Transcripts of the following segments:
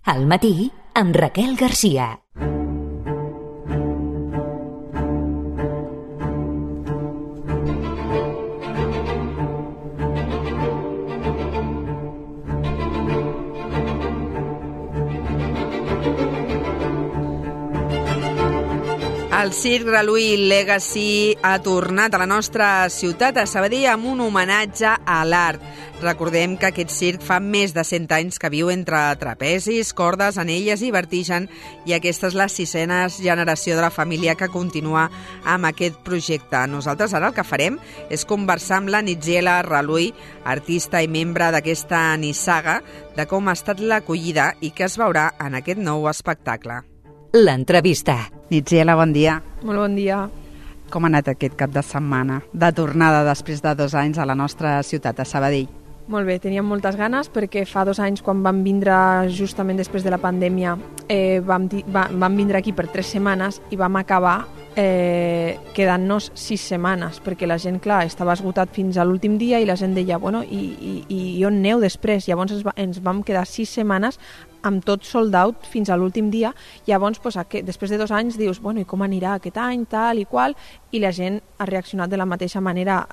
Al matí, amb Raquel Garcia. El Circ Reluí Legacy ha tornat a la nostra ciutat, a Sabadell, amb un homenatge a l'art. Recordem que aquest circ fa més de 100 anys que viu entre trapezis, cordes, anelles i vertigen, i aquesta és la 6a generació de la família que continua amb aquest projecte. Nosaltres ara el que farem és conversar amb la Nitziela Reluí, artista i membre d'aquesta nissaga, de com ha estat l'acollida i què es veurà en aquest nou espectacle. L'entrevista. Nitziela, bon dia. Molt bon dia. Com ha anat aquest cap de setmana de tornada després de 2 anys a la nostra ciutat, a Sabadell? Molt bé, teníem moltes ganes perquè fa 2 anys, quan vam vindre justament després de la pandèmia, vam vindre aquí per 3 setmanes i vam acabar quedant-nos 6 setmanes, perquè la gent, clar, estava esgotat fins a l'últim dia i la gent deia, bueno, i on aneu després? Llavors ens vam quedar 6 setmanes amb tot sold out fins a l'últim dia. Llavors, després de 2 anys dius, bueno, i com anirà aquest any, tal i qual, i la gent ha reaccionat de la mateixa manera.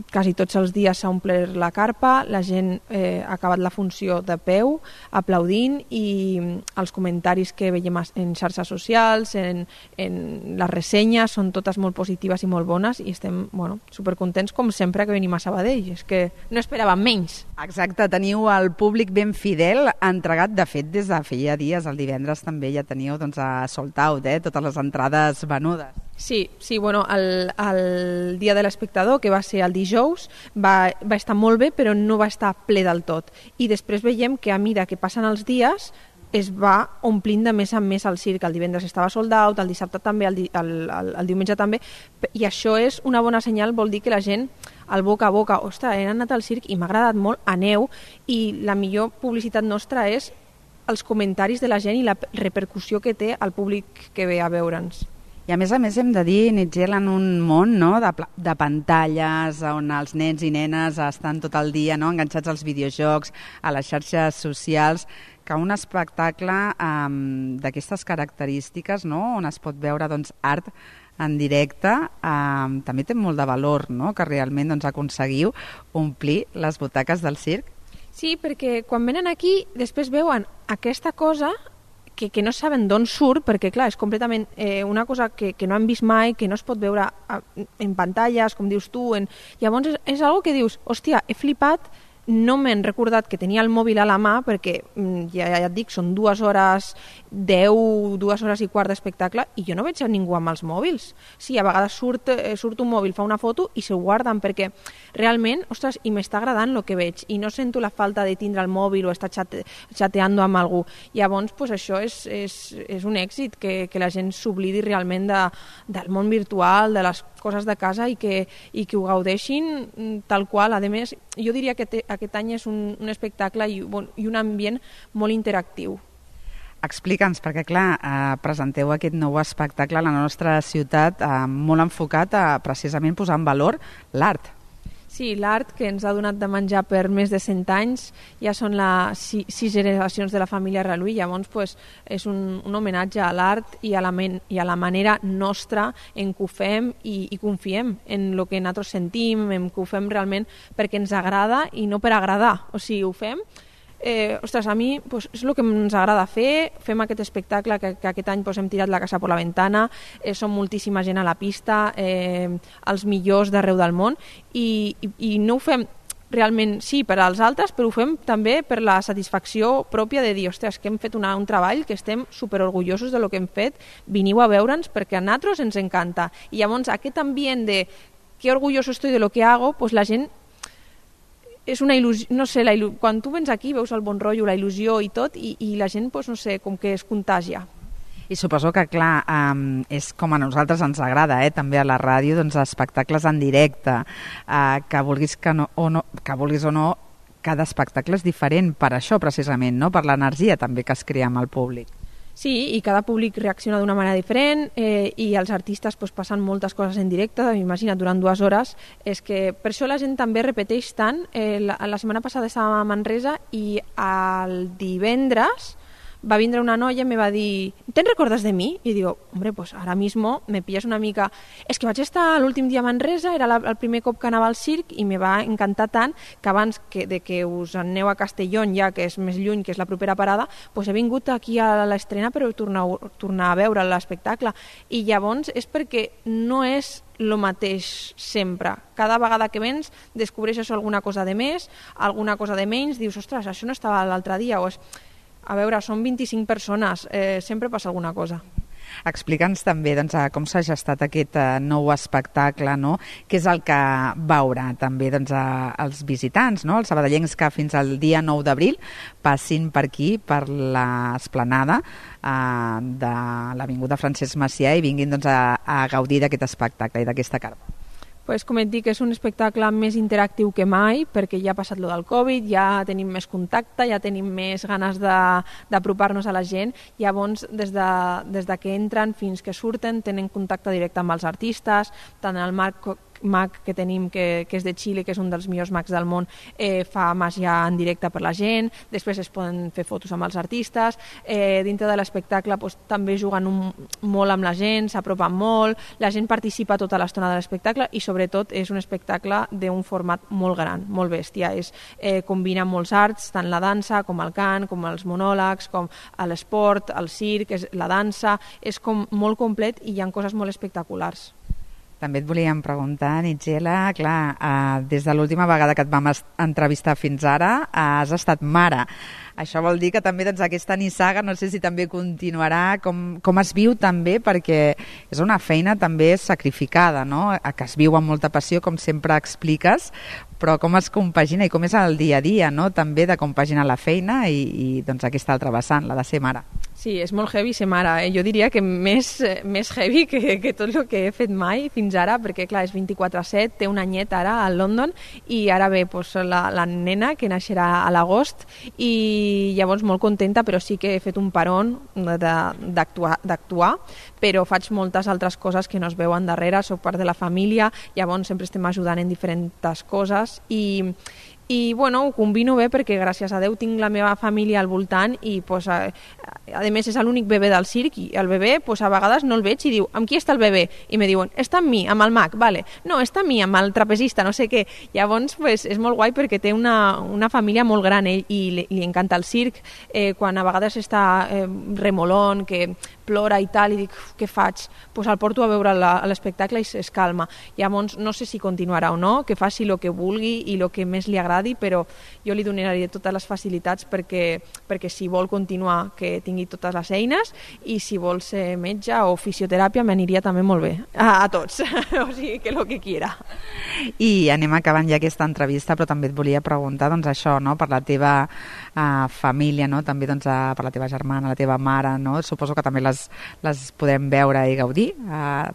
Quasi tots els dies s'ha omplert la carpa, la gent ha acabat la funció de peu, aplaudint, i els comentaris que veiem en xarxes socials, en les ressenyes, són totes molt positives i molt bones, i estem supercontents, com sempre que venim a Sabadell. És que no esperàvem menys. Exacte, teniu el públic ben fidel, entregat. De fet, des de feia dies, el divendres també ja teníeu a sold out, totes les entrades venudes. Sí, el dia de l'espectador, que va ser el dijous, va estar molt bé, però no va estar ple del tot. I després veiem que a mesura que passen els dies es va omplint de més en més el circ. El divendres estava sold out, el dissabte també, el diumenge també, i això és una bona senyal, vol dir que la gent, al boca a boca, ostres, he anat al circ i m'ha agradat molt, aneu, i la millor publicitat nostra és els comentaris de la gent i la repercussió que té al públic que ve a veure'ns. I a més hem de dir, Nitziela, en un món de pantalles on els nens i nenes estan tot el dia enganxats als videojocs, a les xarxes socials, que un espectacle d'aquestes característiques, on es pot veure art en directe, també té molt de valor, que realment aconseguiu omplir les butaques del circ. Sí, perquè quan venen aquí després veuen aquesta cosa que no saben d'on surt, perquè clar, és completament una cosa que no han vist mai, que no es pot veure en pantalles, com dius tu. Llavors és algo que dius, hòstia, he flipat, no m'he recordat que tenia el mòbil a la mà, perquè ja et dic, són 2 hores 10, 2 hores i quart d'espectacle, i jo no veig a ningú amb els mòbils. Sí, a vegades surt un mòbil, fa una foto i s'ho guarden, perquè realment, ostres, i m'està agradant el que veig, i no sento la falta de tindre el mòbil o estar xateant amb algú. Llavors, això és un èxit, que la gent s'oblidi realment del món virtual, de les coses de casa, i que ho gaudeixin tal qual. A més, jo diria que aquest any és un espectacle i un ambient molt interactiu. Explica'ns, perquè clar, presenteu aquest nou espectacle a la nostra ciutat molt enfocat a precisament posar en valor l'art. Sí, l'art, que ens ha donat de menjar per més de 100 anys, ja són les 6 generacions de la família Reluí. Llavors és un homenatge a l'art i a la manera nostra en què ho fem i confiem en el que nosaltres sentim, en què ho fem realment perquè ens agrada i no per agradar. O sigui, ho fem. A mi és el que ens agrada fer. Fem aquest espectacle que aquest any hem tirat la casa per la ventana, som moltíssima gent a la pista, els millors d'arreu del món, i no ho fem realment, sí, per als altres, però ho fem també per la satisfacció pròpia de dir, ostres, que hem fet un treball, que estem superorgullosos de lo que hem fet, veniu a veure'ns perquè a nosaltres ens encanta. I llavors aquest ambient de que orgulloso estoy de lo que hago, la gent és una il·lusió, no sé, quan tu vens aquí veus el bon rotllo, la il·lusió i tot, i la gent, no sé, com que es contagia. I suposo que, clar, és com a nosaltres ens agrada, també a la ràdio, espectacles en directe, que vulguis o no, cada espectacle és diferent per això, precisament, per l'energia també que es crea amb el públic. Sí, i cada públic reacciona d'una manera diferent, i els artistes passen moltes coses en directe, imagina't, durant 2 hores. És que per això la gent també repeteix tant. La setmana passada estàvem a Manresa i el divendres va vindre una noia i me va dir ¿te recordas de mi? I digo, hombre, pues ahora mismo me pillas una mica... És que vaig estar l'últim dia a Manresa, era el primer cop que anava al circ i me va encantar tant que abans que us aneu a Castellón, ja que és més lluny, que és la propera parada, pues he vingut aquí a l'estrena per tornar a veure l'espectacle. I llavors és perquè no és el mateix sempre. Cada vegada que vens descobreixes alguna cosa de més, alguna cosa de menys, dius, ostres, això no estava l'altre dia, o és... A veure, són 25 persones, sempre passa alguna cosa. Explica'ns també doncs, com s'ha gestat aquest nou espectacle, no? Què és el que veurà també doncs, els visitants, no? Els sabadellencs que fins al dia 9 d'abril passin per aquí, per l'esplanada de l'Avinguda Francesc Macià i vinguin doncs, a gaudir d'aquest espectacle i d'aquesta carpa. Pues, com et dic, és un espectacle més interactiu que mai, perquè ja ha passat lo del Covid, ja tenim més contacte, ja tenim més ganes d'apropar-nos a la gent. Llavors, des de que entren fins que surten, tenen contacte directe amb els artistes, tant el mag que tenim, que és de Xile, que és un dels millors mags del món, fa màgia en directe per la gent, després es poden fer fotos amb els artistes, dintre de l'espectacle també juguen molt amb la gent, s'apropen molt, la gent participa tota l'estona de l'espectacle i sobretot és un espectacle d'un format molt gran, molt bèstia, combina molts arts, tant la dansa com el cant, com els monòlegs, com l'esport, el circ, la dansa, és com molt complet i hi ha coses molt espectaculars. També et volíem preguntar, Nigella, clar, des de l'última vegada que et vam entrevistar fins ara, has estat mare. Això vol dir que també doncs, aquesta nissaga, no sé si també continuarà, com es viu també, perquè és una feina també sacrificada, no? Que es viu amb molta passió, com sempre expliques, però com es compagina i com és el dia a dia, no? També de compaginar la feina i doncs, aquesta altra vessant, la de ser mare. Sí, és molt heavy ser mare. Jo diria que més heavy que tot el que he fet mai fins ara, perquè clar, és 24/7, té un anyet ara a London i ara ve la nena que naixerà a l'agost i llavors molt contenta, però sí que he fet un parón d'actuar, però faig moltes altres coses que no es veuen darrere, soc part de la família, llavors sempre estem ajudant en diferents coses i bueno, ho combino bé perquè gràcies a Déu tinc la meva família al voltant i a més és l'únic bebè del circ i el bebè a vegades no el veig i diu, amb qui està el bebè? I me diuen, està amb mi, amb el mag, vale. No, està amb mi, amb el trapezista, no sé què. Llavors és molt guai perquè té una família molt gran ell i li encanta el circ, quan a vegades està remolón, que plora i tal, i dic, què faig? El porto a veure l'espectacle i es calma. Llavors no sé si continuarà o no, que faci el que vulgui i el que més li agradi, però jo li donaré totes les facilitats perquè si vol continuar que tingui totes les eines i si vol ser metge o fisioteràpia m'aniria també molt bé, a tots, o sigui que el que quiera. I anem acabant ja aquesta entrevista, però també et volia preguntar doncs això, no? Per la teva família, no? També doncs, per la teva germana, la teva mare, no? Suposo que també les podem veure i gaudir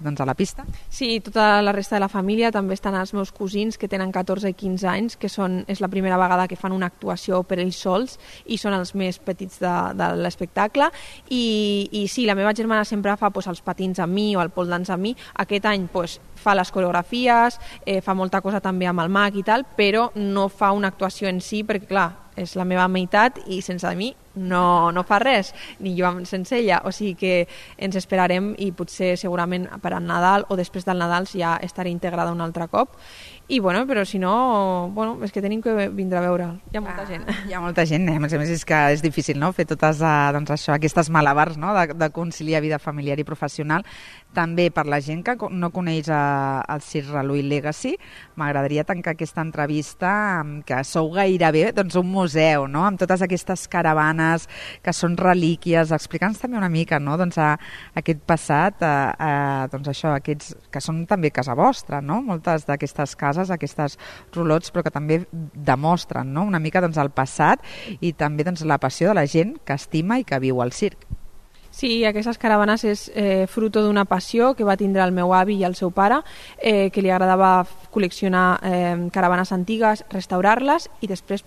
doncs a la pista. Sí, tota la resta de la família, també estan els meus cosins que tenen 14 i 15 anys, que és la primera vegada que fan una actuació per ells sols i són els més petits de l'espectacle i sí, la meva germana sempre fa els patins amb mi o el pole dance amb mi, aquest any fa les coreografies, fa molta cosa també amb el mag i tal, però no fa una actuació en si perquè clar, és la meva meitat i sense mi no fa res, ni jo sense ella, o sigui que ens esperarem i potser segurament per al Nadal o després del Nadal ja estaré integrada un altre cop i bueno, però si no, és que tenim que vindre a veure, hi ha molta gent. Hi ha molta gent, a més és que és difícil, no?, fer totes doncs això, aquestes malabars, no?, de conciliar vida familiar i professional. També per la gent que no coneix el Circ Reluït Legacy, m'agradaria tancar aquesta entrevista que sou gairebé doncs, un museu, no?, amb totes aquestes caravanes que són relíquies. Explica'ns també una mica, no?, doncs, aquest passat, doncs això, aquests que són també casa vostra, no?, moltes d'aquestes cases, aquestes rolots, però que també demostren, no?, una mica doncs, el passat i també doncs, la passió de la gent que estima i que viu al circ. Sí, aquestes caravanes és fruto d'una passió que va tindre el meu avi i el seu pare, que li agradava col·leccionar caravanes antigues, restaurar-les i després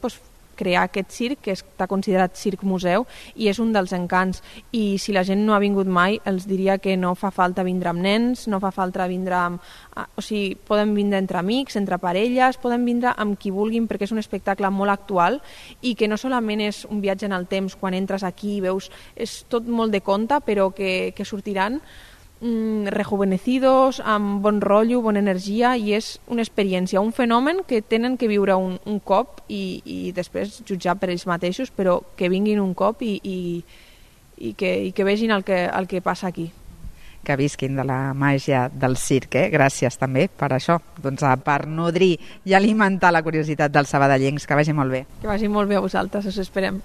crear aquest circ, que està considerat circ museu, i és un dels encants. I si la gent no ha vingut mai, els diria que no fa falta vindre amb nens, no fa falta vindre amb... O sigui, poden vindre entre amics, entre parelles, poden vindre amb qui vulguin, perquè és un espectacle molt actual i que no solament és un viatge en el temps, quan entres aquí i veus... És tot molt de conte, però que sortiran rejuvenecidos, amb bon rotllo, bona energia, i és una experiència, un fenomen que tenen que viure un cop i després jutjar per ells mateixos, però que vinguin un cop i que vegin el que passa aquí. Que visquin de la màgia del circ, Gràcies també per això, doncs, per nodrir i alimentar la curiositat dels sabadellencs. Que vagi molt bé. Que vagi molt bé a vosaltres, us esperem.